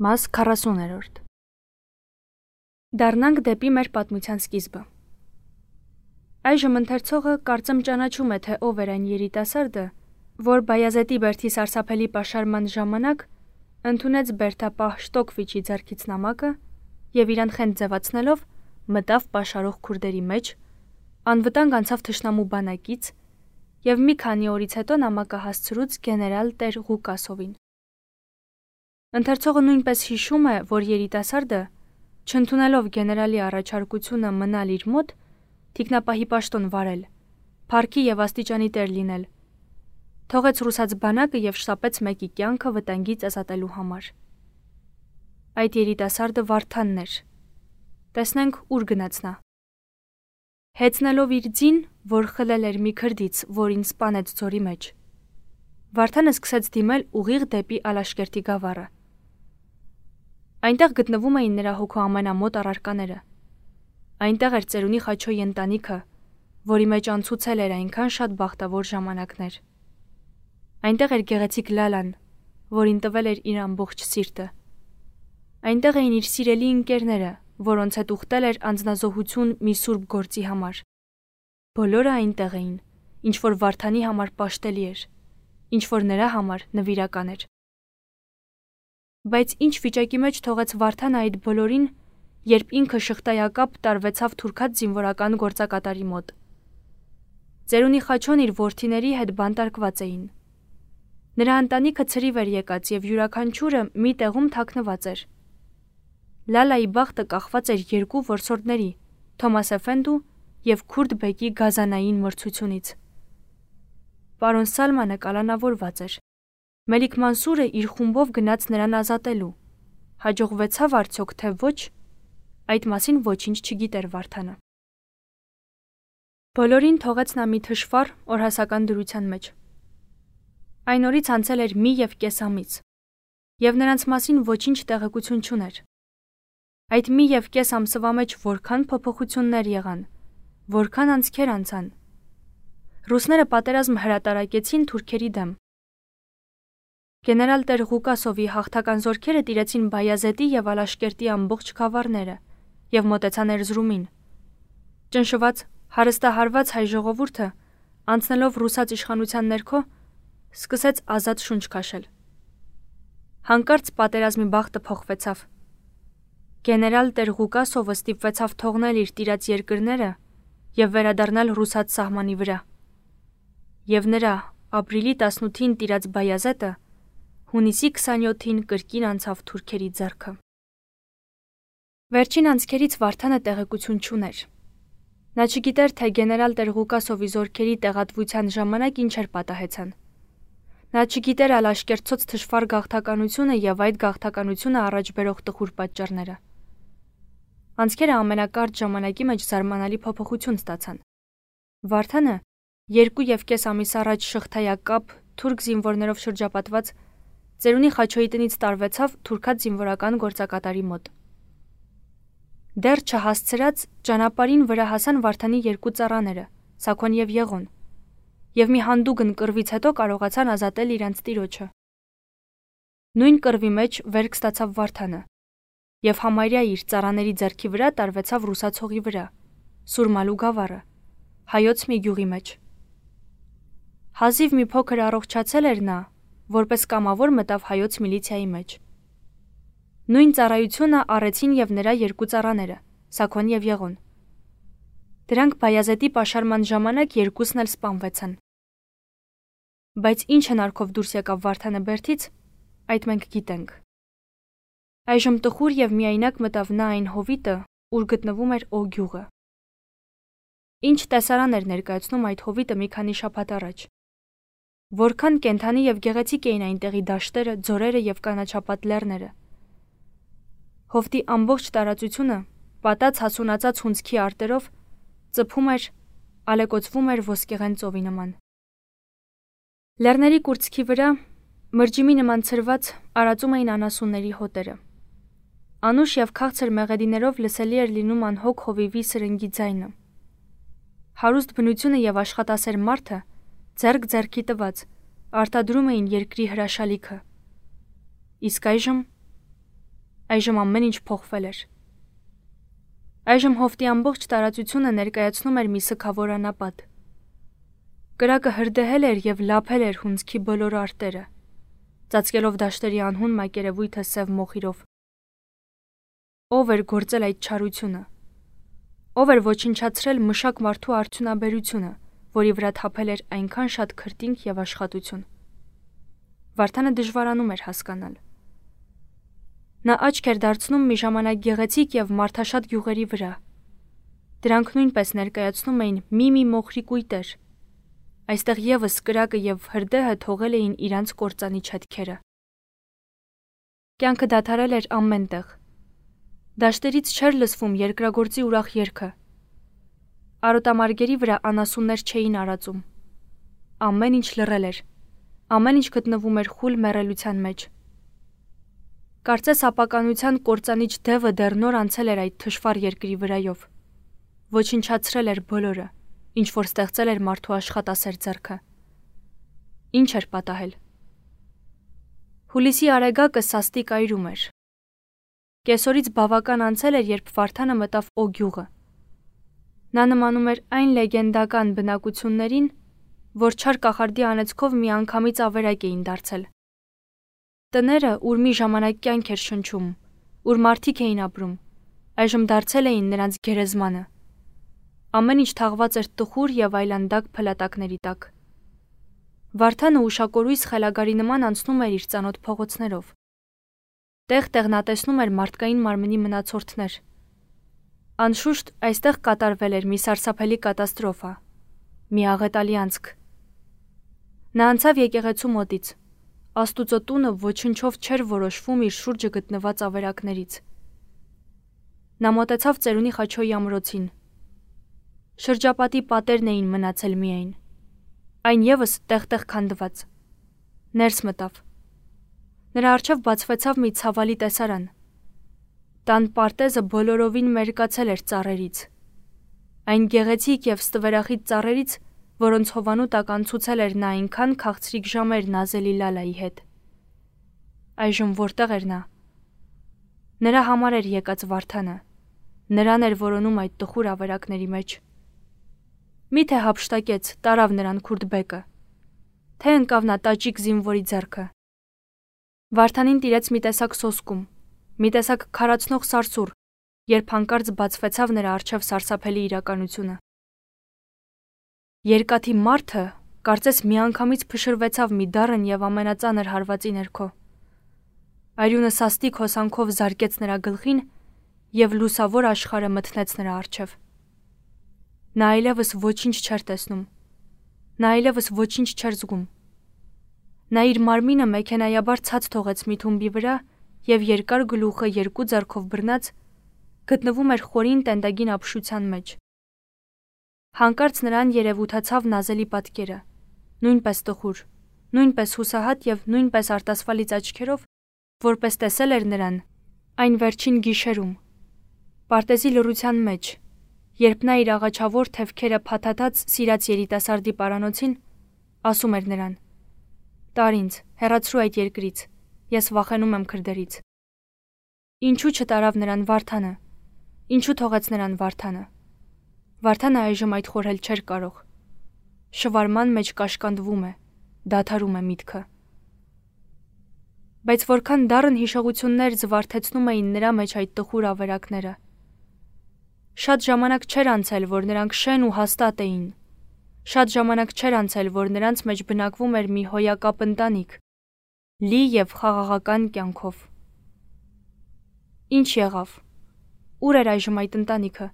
Մաս 40-րդ Դառնանք դեպի մեր պատմության սկիզբը։ Այժմ ընթերցողը կարծեմ ճանաչում է, թե ով էր այն երիտասարդը, որ Բայազեդի բերդի սարսափելի պաշարման ժամանակ ընդունեց բերդապահ Շտոկվիչի ձեռքից նամակը և իրան խենթ ձևացնելով մտավ պաշարող քուրդերի մեջ, անվտանգ անցավ թշնամու բանակից և մի քանի օրից հետո նամակը հասցրուց գեներալ տեր Ղուկասովին։ Ընթերցողը նույնպես հիշում է, որ երիտասարդը, չընդունելով գեներալի առաջարկությունը մնալ իր մոտ, թիկնապահի պաշտոն վարել, փառքի և աստիճանի տեր լինել, թողեց ռուսաց բանակը և շտապեց մեկի կյանքը վտանգից ազատելու համար։ Այդ երիտասարդը Վարդանն էր։ Տեսնենք ուր գնաց նա։ Հեծնելով իր ձին, որ խլել էր մի քրդից, որին սպանեց ձորի մեջ, Վարդանը սկսեց դիմել ուղիղ դեպի Ալաշկերտի գավառը։ Այնտեղ գտնվում էին նրա հոգու ամենամոտ առարկաները։ Այնտեղ էր ծերունի Խաչոյի ընտանիքը, որի մեջ անցուցել էր այնքան շատ բախտավոր ժամանակներ։ Այնտեղ էր գեղեցիկ Լալան, որին տվել էր իր ամբողջ սիրտը։ Այնտեղ էին իր սիրելի ընկերները, որոնց հետ ուխտել էր անձնազոհություն մի սուրբ գործի համար։ Բոլորը այնտեղ էին, ինչ որ Վարդանի համար պաշտելի էր, ինչ որ նրա համար նվիրական էր։ Բայց ինչ վիճակի մեջ թողեց Վարդանը այդ բոլորին, երբ ինքը շղթայակապ տարվեցավ թուրքած զինվորական գործակատարի մոտ։ Ծերունի Խաչոն իր որդիների հետ բանտարկված էին։ Նրա ընտանիքը ցրիվ էր եկած և յուրաքանչյուրը մի տեղում թաքնված էր։ Լալայի բախտը կախված էր երկու որսորդների՝ Թոմաս Էֆենդու և Քուրդ բեկի գազանային մրցությունից։ Պարոն Սալմանը կալանավորված էր։ Մելիք Մանսուրը իր խումբով գնաց նրան ազատելու։ Հաջողվեցավ արդյոք, թե ոչ, այդ մասին ոչինչ չգիտեր Վարդանը։ Բոլորին թողեց նա մի թշվառ օրհասական դրության մեջ։ Այն օրից անցել էր մի և կես ամիս, և նրանց մասին ոչինչ տեղեկություն չուներ։ Այդ մի և կես ամսվա մեջ որքան փոփոխություններ եղան, որքան անցքեր անցան։ Ռուսները պատերազմ հրատարակեցին թուրքերի դեմ։ Գեներալ տեր Ղուկասովի հաղթական զորքերը տիրեցին Բայազետի և Ալաշկերտի ամբողջ գավառները և մոտեցան Էրզրումին։ Ճնշված, հարստահարված հայ ժողովուրդը, անցնելով ռուսաց իշխանության ներքո, սկսեց ազատ շունչ քաշել։ Հանկարծ պատերազմի բախտը փոխվեցավ։ Գեներալ տեր Ղուկասովը ստիպվեցավ թողնել իր տիրած երկրները և վերադառնալ ռուսաց սահմանի վրա։ Եվ նրա ապրիլի 18-ին տիրած Բայազետը հունիսի 27-ին կրկին անցավ թուրքերի ձեռքը։ Վերջին անցքերից Վարդանը տեղեկություն չուներ։ Նա չգիտեր, թե գեներալ տեր Ղուկասովի զորքերի տեղատվության ժամանակ ինչեր պատահեցան։ Նա չգիտեր Ալաշկերտցոց թշվառ գաղթականությունը և այդ գաղթականությունը առաջ բերող տխուր պատճառները։ Անցքերը ամենակարճ ժամանակի մեջ զարմանալի փոփոխություն ստացան։ Վարդանը 2.5 ամիս առաջ շղթայակապ թուրք զինվորներով շրջապատված ծերունի Խաչոյի տնից տարվեցավ թուրքած զինվորական գործակատարի մոտ։ Դեռ չհասցրած ճանապարհին վրա հասան Վարդանի երկու ծառաները՝ Սաքոն և Եղոն, և մի հանդուգն կռվից հետո կարողացան ազատել իրենց տիրոջը։ Նույն կռվի մեջ վերք ստացավ Վարդանը և համարյա իր ծառաների ձեռքի վրա տարվեցավ ռուսաց հողի վրա, Սուրմալու գավառը, հայոց մի գյուղի մեջ։ Հազիվ մի փոքր առողջացել էր նա, որպես կամավոր մտավ հայոց միլիցիայի մեջ։ Նույն ծառայությունը առեցին և նրա երկու ծառաները՝ Սաքոն և Եղոն։ Դրանք Բայազետի պաշարման ժամանակ երկուսն էլ սպանվեցան։ Բայց ինչ հնարքով դուրս եկավ Վարդանը բերդից, այդ մենք գիտենք։ Այժմ տխուր և միայնակ մտավ նա այն հովիտը, ուր գտնվում էր Օ գյուղը։ Ինչ տեսարան էր ներկայացնում այդ հովիտը մի քանի շաբաթ առաջ։ Որքան կենդանի և գեղեցիկ էին այնտեղի դաշտերը, ձորերը և կանաչապատ լեռները։ Հովտի ամբողջ տարածությունը, պատած հասունացած հունձքի արտերով, ծփում էր, ալեկոծվում էր ոսկեղեն ծովի նման։ Լեռների կուրծքի վրա, մրջիմի նման ցրված, արածում էին անասունների հոտերը։ Անուշ և քաղցր մեղեդիներով լսելի էր լինում անհոգ հովիվի սրնգի ձայնը։ Հարուստ բնությունը և աշխատասեր մարդը, ձեռք ձեռքի տված, արտադրում էին երկրի հրաշալիքը։ Իսկ այժմ Այժմ ամեն ինչ փոխվել էր։ Այժմ հովտի ամբողջ տարածությունը ներկայացնում էր մի սգավոր անապատ։ Կրակը հրդեհել էր և լափել էր հունձքի բոլոր արտերը, ծածկելով դաշտերի անհուն մակերևույթը սև մոխիրով։ Ով էր գործել այդ չարությունը։ Ով էր ոչնչացրել մշակ մարդու արդյունաբերությունը, որի վրա թափել էր այնքան շատ քրտինք և աշխատություն։ Վարդանը դժվարանում էր հասկանալ։ Նա աչք էր դարձնում մի ժամանակ գեղեցիկ և մարդաշատ գյուղերի վրա։ Դրանք նույնպես ներկայացնում էին մի մոխրի կույտեր։ Այստեղ ևս կրակը և հրդեհը թողել էին իրանց կործանիչ հետքերը։ Կյանքը դադարել էր ամենտեղ։ Դաշտերից չէր լսվում երկրագործի ուրախ երգը։ Արոտամարգերի վրա անասուններ չէին արածում։ Ամեն ինչ լռել էր։ Ամեն ինչ գտնվում էր խուլ մեռելության մեջ։ Կարծես ապականության կործանիչ դևը դեռ նոր անցել էր այդ թշվառ երկրի վրայով։ Ոչնչացրել էր բոլորը, ինչ որ ստեղծել էր մարդու աշխատասեր ձեռքը։ Ինչ էր պատահել։ Հուլիսի արեգակը սաստիկ այրում էր։ Կեսօրից բավական անցել էր, երբ Վարդանը մտավ Օ գյուղը։ Նա նմանում էր այն լեգենդական բնակություններին, որ չար կախարդի անեծքով մի անգամից ավերակ էին դարձել։ Տները, ուր մի ժամանակ կյանք էր շնչում, ուր մարդիկ էին ապրում, այժմ դարձել էին նրանց գերեզմանը։ Ամեն ինչ թաղված էր տխուր և այլանդակ փլատակների տակ։ Վարդանը ուշակորույս խելագարի նման անցնում էր իր ծանոթ փողոցներով։ Տեղ-տեղ նա տեսնում էր մարդկային մարմնի մնացորդներ։ Անշուշտ այստեղ կատարվել էր մի սարսափելի կատաստրոֆա, մի աղետալի անցք։ Նա անցավ եկեղեցու մոտից։ Աստուծո տունը ոչնչով չէր որոշվում իր շուրջը գտնված ավերակներից։ Նա մոտեցավ ծերունի Խաչոյի ամրոցին։ Շրջապատի պատերն էին մնացել միայն։ Այն ևս տեղ-տեղ քանդված։ Ներս մտավ։ Նրա առջև բացվեցավ մի ցավալի տեսարան։ Տան պարտեզը բոլորովին մերկացել էր ծառերից։ Այն գեղեցիկ և ստվերախիտ ծառերից, որոնց հովանու տակ անցուցել էր նա այնքան քաղցրիկ ժամեր նազելի Լալայի հետ։ Այժմ որտեղ էր նա։ Նրա համար էր եկած Վարդանը։ Նրան էր որոնում այդ տխուր ավերակների մեջ։ Միթե հափշտակեց, տարավ նրան քուրդբեկը, թե ընկավ նա տաճիկ զինվորի ձեռքը։ Վարդանին տիրեց մի տեսակ սոսկում, մի տեսակ քարացնող սարսուռ, երբ հանկարծ բացվեցավ նրա առջև սարսափելի իրականությունը։ Երկաթի մարդը կարծես միանգամից փշրվեցավ մի դառն և ամենածանր հարվածի ներքո։ Արյունը սաստիկ հոսանքով զարկեց նրա գլխին և լուսավոր աշխարհը մթնեց նրա առջև։ Նա այլևս ոչինչ չէր տեսնում։ Նա այլևս ոչինչ չէր զգում։ Նա իր մարմինը մեքենայաբար ցած թողեց մի թումբի վրա և երկար գլուխը երկու ձեռքով բռնած գտնվում էր խորին տենդագին ապշության մեջ։ Հանկարծ նրան երևութացավ նազելի պատկերը, նույնպես տխուր, նույնպես հուսահատ և նույնպես արտասվալից աչքերով, որպես տեսել էր նրան այն վերջին գիշերում, պարտեզի լռության մեջ, երբ նա իր աղաչավոր թևքերը փաթաթած սիրած երիտասարդի պարանոցին, ասում էր նրան. «Տար ինձ, հեռացրու այդ երկրից, ես վախենում եմ քրդերից»։ Ինչու չտարավ նրան Վարդանը։ Ինչու թողեց նրան Վարդանը։ Վարդանը այժմ այդ խորհել չէր կարող։ Շվարման մեջ կաշկանդվում է, դադարում է միտքը։ Բայց որքան դառն հիշողություններ զվարթեցնում էին նրա մեջ այդ տխուր ավերակները։ Շատ ժամանակ չէր անցել, որ նրանք շեն ու հաստատ էին։ Շատ ժամանակ չէր անցել, որ նրանց մեջ բնակվում էր մի հոյակապ ընտանիք, լի և խաղաղական կյանքով։ Ինչ եղավ։ Ուր էր այժմ այդ ընտանիքը։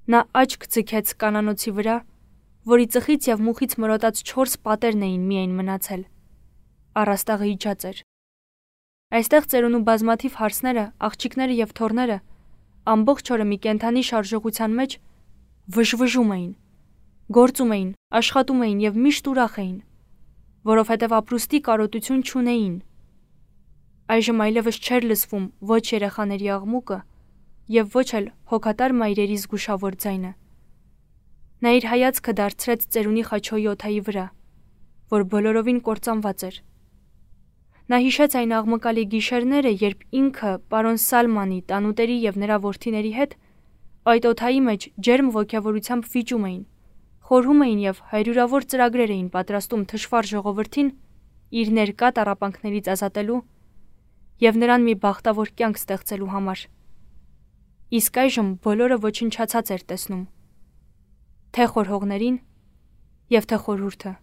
Նա աչք ձգեց կանանոցի վրա, որի ծխից և մուխից մրոտած 4 պատերն էին միայն մնացել։ Առաստաղը իջած էր։ Այստեղ ծերունու բազմաթիվ հարսները, աղջիկները և թոռները ամբողջ օրը մի կենդանի շարժողության մեջ վժվժում էին, գործում էին, աշխատում էին և միշտ ուրախ էին, որովհետև ապրուստի կարոտություն չունեին։ Այժմ այլևս չէր լսվում ոչ երեխաների աղմուկը և ոչ էլ հոգատար մայրերի զգուշավոր ձայնը։ Նա իր հայացքը դարձրեց ծերունի Խաչոյի օդայի վրա, որ բոլորովին կործանված էր։ Նա հիշեց այն աղմկալի գիշերները, երբ ինքը, պարոն Սալմանի, տանուտերի և նրա որդիների հետ այդ օդայի մեջ ջերմ ոգևորությամբ վիճում էին, խորհում էին և հարյուրավոր ծրագրեր էին պատրաստում թշվառ ժողովրդին իր ներկա տառապանքներից ազատելու և նրան մի բախտավոր կյանք ստեղծելու համար։ Իսկ այժմ բոլորը ոչնչացած էր տեսնում, թե խորհողներին և թե խորհուրդը։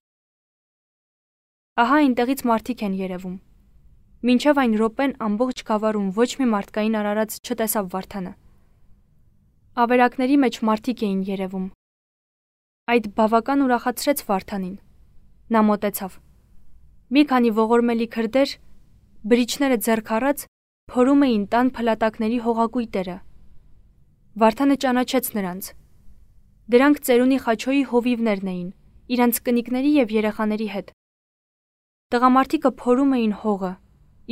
Ահա այնտեղից մարդիկ են երևում։ Մինչև այն րոպեն ամբողջ գավառում ոչ մի մարդկային արարած չտեսավ Վարդանը։ Ավերակների մեջ մարդիկ էին երևում։ Այդ բավական ուրախացրեց Վարդանին։ Նա մոտեցավ։ Մի քանի ողորմելի քրդեր, բրիչները ձեռք առած, փորում էին տան փլատակների հողակույտերը։ Վարդանը ճանաչեց նրանց։ Դրանք ծերունի Խաչոյի հովիվներն էին, իրանց կնիկների և երեխաների հետ։ Տղամարդիկը փորում էին հողը,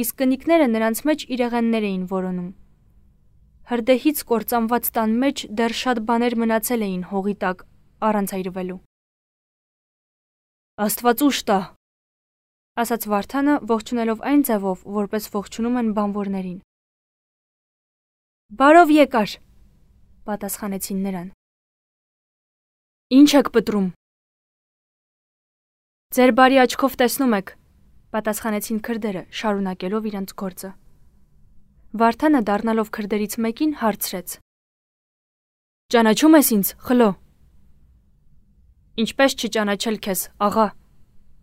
իսկ կնիկները նրանց մեջ իրեղեններ էին որոնում։ Հրդեհից կործանված տան մեջ դեռ շատ բաներ մնացել էին հողի տակ առանց այրվելու։ Աստված ուժ տա, ասաց Վարդանը, ողջունելով այն ձևով, որպես ողջունում են բանվորներին։ Բարով եկար, պատասխանեցին նրան։ Ինչ եք պտրում։ Ձեր բարի աչքով տեսնում եք, պատասխանեցին քրդերը, շարունակելով իրենց գործը։ Վարդանը դառնալով քրդերից մեկին հարցրեց. Ճանաչում ես ինձ, խլո։ Ինչպես չճանաչել քեզ, աղա։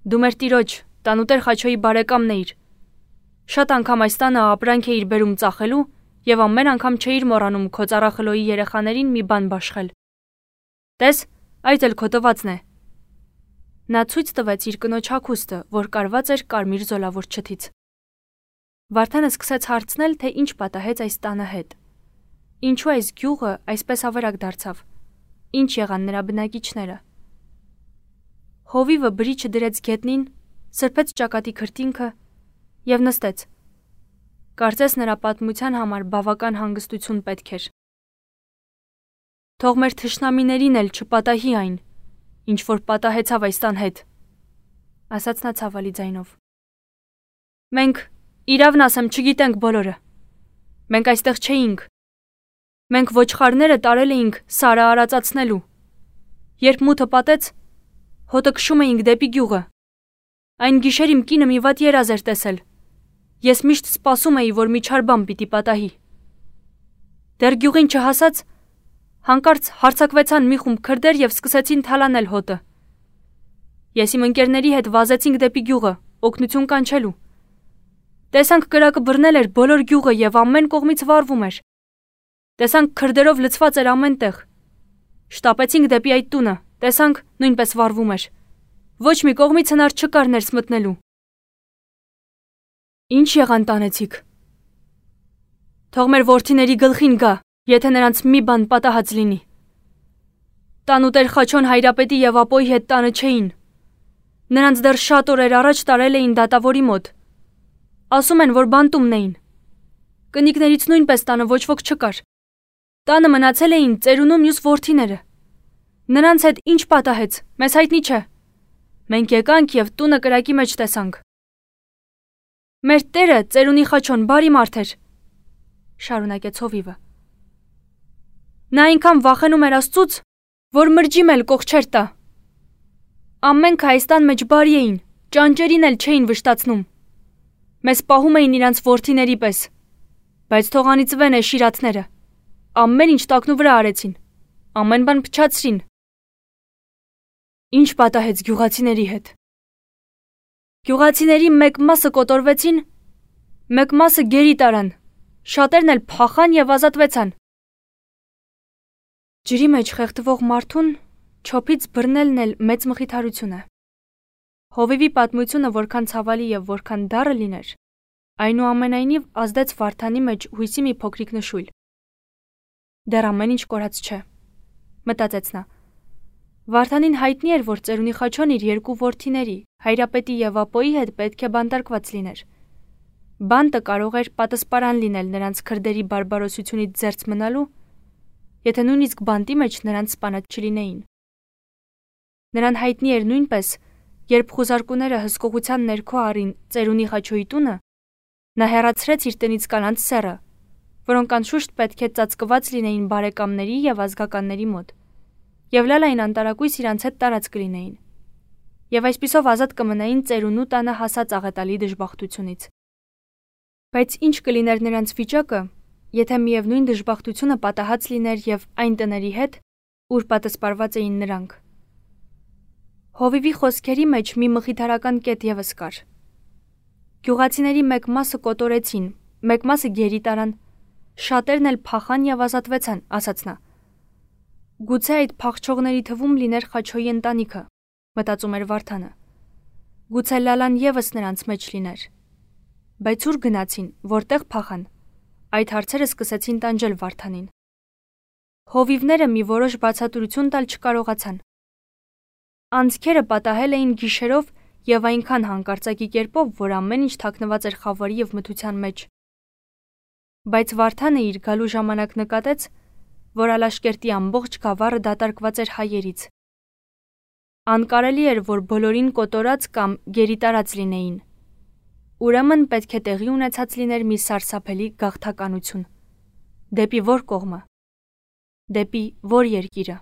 Դու մեր տիրոջ, տանուտեր Խաչոյի բարեկամն էիր։ Շատ անգամ այս տանը ապրանք էիր բերում ծախելու և ամեն անգամ չէիր մոռանում քո ծառախլոյի երեխաներին մի բան բաշխել։ Տես, այդ էլ քո տվածն է։ Նա ցույց տվեց իր կնոջ հագուստը, որ կարված էր կարմիր զոլավոր չթից։ Վարդանը սկսեց հարցնել, թե ինչ պատահեց այս տանը հետ։ Ինչու այս գյուղը այսպես ավերակ դարձավ։ Ինչ եղան նրա բնակիչները։ Հովիվը բրիչը դրեց գետնին, սրբեց ճակատի քրտինքը և նստեց։ Կարծես նրա պատմության համար բավական հանգստություն պետք էր։ Թող մեր թշնամիներին էլ չպատահի այն, ինչ որ պատահեցավ այս տան հետ, ասաց նա ցավալի ձայնով։ Մենք, իրավն ասեմ, չգիտենք բոլորը։ Մենք այստեղ չէինք։ Մենք ոչխարները տարել էինք Սարը արածացնելու։ Երբ մութը պատեց, հոտը քշում էինք դեպի գյուղը։ Այն գիշեր իմ կինը մի վատ երազ էր տեսել։ Ես միշտ սպասում էի, որ մի չար բան պիտի պատահի։ Դեռ գյուղին չհասած, հանկարծ հարձակվեցան մի խումբ քրդեր և սկսեցին թալանել հոտը։ Ես իմ ընկերների հետ վազեցինք դեպի գյուղը, օգնություն կանչելու։ Տեսանք կրակը բռնել էր բոլոր գյուղը և ամեն կողմից վառվում էր։ Տեսանք քրդերով լցված էր ամեն տեղ։ Շտապեցինք դեպի այդ տունը, տեսանք նույնպես վառվում էր։ Ոչ մի կողմից հնար չկար ներս մտնելու։ Ինչ եղան տանեցիք։ Թող մեր որդիների գլխին գա, եթե նրանց մի բան պատահած լինի։ Տանուտեր Խաչոն Հայրապետի և ապոյի հետ տանը չէին։ Նրանց դեռ շատ օրեր առաջ տարել էին դատավորի մոտ։ Ասում են, որ բանտումն էին։ Կնիկներից նույնպես տանը ոչ ոք չկար։ Տանը մնացել էին ծերունու մյուս որդիները։ Նրանց հետ ինչ պատահեց, մեզ հայտնի չէ։ Մենք եկանք և տունը կրակի մեջ տեսանք։ Մեր տերը, ծերունի Խաչոն, բարի մարդ էր, շարունակեց հովիվը։ Նա այնքան վախենում էր Աստծուց, որ մրջիմ էլ կող չէր տա։ Ամենքը այս տան մեջ բարի էին, ճանճերին էլ չէին վշտացնում։ Մեզ պահում էին իրանց որդիների պես, բայց թող անիծվեն շիրաթները։ Ամեն ինչ տակնու վրա արեցին, ամեն բան փչացրին։ Ինչ պատահեց գյուղացիների հետ։ Գյուղացիների մեկ մասը կոտորվեցին, մեկ մասը գերի տարան, շատերն էլ փախան և ազատվեցան։ Ջրի մեջ խեղդվող մարդուն չոփից բռնելն էլ մեծ մխիթարություն է։ Հովիվի պատմությունը որքան ցավալի և որքան դառը լիներ, այնուամենայնիվ ազդեց Վարդանի մեջ հույսի մի փոքրիկ նշույլ։ Դեռ ամեն ինչ կորած չէ, մտածեց նա։ Վարդանին հայտնի էր, որ ծերունի Խաչոն իր երկու որդիների, Հայրապետի և ապոյի հետ պետք է բանտարկված լիներ։ Բանտը կարող էր պատասպարան լինել նրանց քրդերի բարբարոսությունից զերծ մնալու, եթե նույնիսկ բանտի մեջ նրանց սպանած չլինեին։ Նրան հայտնի էր նույնպես, Երբ խուզարկուները հսկողության ներքո առին ծերունի Խաչոյի տունը, նա հեռացրեց իր տնից կանանց սեռը, որոնք անշուշտ պետք է ծածկված լինեին բարեկամների եւ ազգականների մոտ, եւ Լալային անտարակույս իրանց հետ տարած կլինեին, եւ այսպիսով ազատ կմնային ծերունու տանը հասած աղետալի դժբախտությունից։ Բայց ինչ կլիներ նրանց վիճակը, եթե միևնույն դժբախտությունը պատահած լիներ եւ այն տների հետ, ուր պատասպարված էին նրանք։ Հովիվի խոսքերի մեջ մի մխիթարական կետ եւս կար։ Գյուղացիների մեկ մասը կոտորեցին, մեկ մասը գերի տարան, շատերն էլ փախան եւ ազատվեցան, ասաց նա։ Գուցե այդ փախչողների թվում լիներ Խաչոյի ընտանիքը, մտածում էր Վարդանը։ Գուցե Լալան եւս նրանց մեջ լիներ։ Բայց ուր գնացին, որտեղ փախան։ Այդ հարցերը սկսեցին տանջել Վարդանին։ Հովիվները մի որոշ բացատրություն տալ չկարողացան։ Անձքերը պատահել էին գիշերով եւ այնքան հանկարծակի կերպով, որ ամեն ինչ թաքնված էր խավարի եւ մթության մեջ։ Բայց Վարդանը իր գալու ժամանակ նկատեց, որ Ալաշկերտի ամբողջ գավառը դատարկված էր հայերից։ Անկարելի էր, որ բոլորին կոտորած կամ գերի տարած լինեին։ Ուրեմն պետք է տեղի ունեցած լիներ մի սարսափելի գաղթականություն։ Դեպի որ կողմը։ Դեպի որ երկիրը։